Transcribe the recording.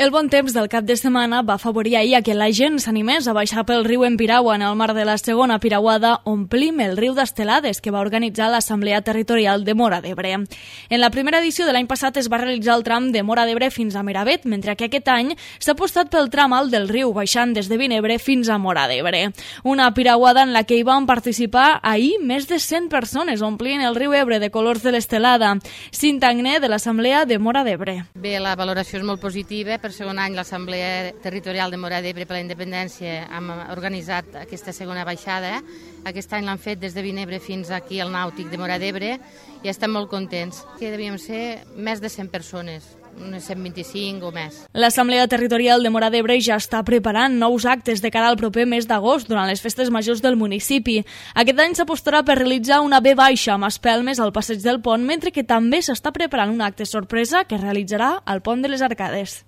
El bon temps del cap de setmana va afavorir ahir que la gent s'animés a baixar pel riu en piragua en el marc de la segona piragüada Omplim el riu d'Estelades que va organitzar l'Assemblea Territorial de Móra d'Ebre. En la primera edició de l'any passat es va realitzar el tram de Móra d'Ebre fins a Miravet, mentre que aquest any s'ha apostat pel tram alt del riu, baixant des de Vinebre fins a Móra d'Ebre. Una piragüada en la que hi van participar ahir més de 100 persones, omplint el riu Ebre de colors de l'estelada. Cinta Agné, de l'Assemblea de Móra d'Ebre. Bé, la valoració és molt positiva. Per segon any l'Assemblea Territorial de Móra d'Ebre per la Independència hem organitzat aquesta segona baixada. Aquest any l'han fet des de Vinebre fins aquí al Nàutic de Móra d'Ebre i estem molt contents. Que devíem ser més de 100 persones, unes 125 o més. L'Assemblea Territorial de Móra d'Ebre ja està preparant nous actes de cara al proper mes d'agost durant les festes majors del municipi. Aquest any s'apostarà per realitzar una V baixa amb espelmes al passeig del pont, mentre que també s'està preparant un acte sorpresa que realitzarà al pont de les Arcades.